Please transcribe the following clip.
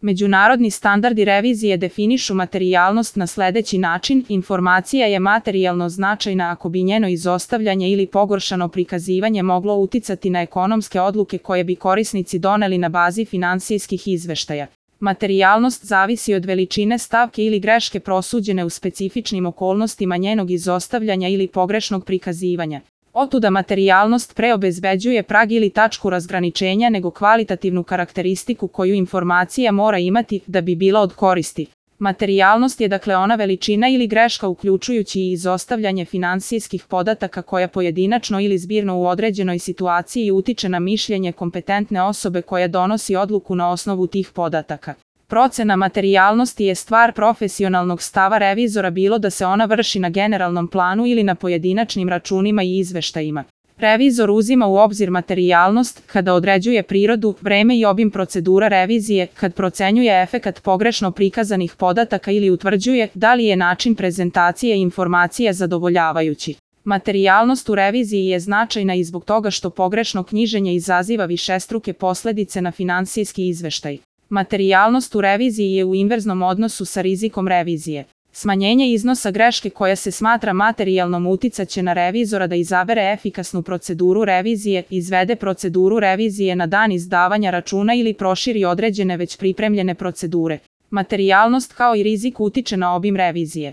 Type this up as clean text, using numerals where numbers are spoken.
Međunarodni standardi revizije definišu materijalnost na sledeći način: informacija je materijalno značajna ako bi njeno izostavljanje ili pogoršano prikazivanje moglo uticati na ekonomske odluke koje bi korisnici doneli na bazi finansijskih izveštaja. Materijalnost zavisi od veličine stavke ili greške prosuđene u specifičnim okolnostima njenog izostavljanja ili pogrešnog prikazivanja. Otuda materijalnost pre obezbeđuje prag ili tačku razgraničenja nego kvalitativnu karakteristiku koju informacija mora imati da bi bila od koristi. Materijalnost je dakle ona veličina ili greška uključujući i izostavljanje finansijskih podataka koja pojedinačno ili zbirno u određenoj situaciji utiče na mišljenje kompetentne osobe koja donosi odluku na osnovu tih podataka. Procena materijalnosti je stvar profesionalnog stava revizora, bilo da se ona vrši na generalnom planu ili na pojedinačnim računima i izveštajima. Revizor uzima u obzir materijalnost kada određuje prirodu, vreme i obim procedura revizije, kad procenjuje efekat pogrešno prikazanih podataka ili utvrđuje da li je način prezentacije informacija zadovoljavajući. Materijalnost u reviziji je značajna i zbog toga što pogrešno knjiženje izaziva višestruke posledice na finansijski izveštaj. Materijalnost u reviziji je u inverznom odnosu sa rizikom revizije. Smanjenje iznosa greške koja se smatra materijalnom uticaće na revizora da izabere efikasnu proceduru revizije, izvede proceduru revizije na dan izdavanja računa ili proširi određene već pripremljene procedure. Materijalnost kao i rizik utiče na obim revizije.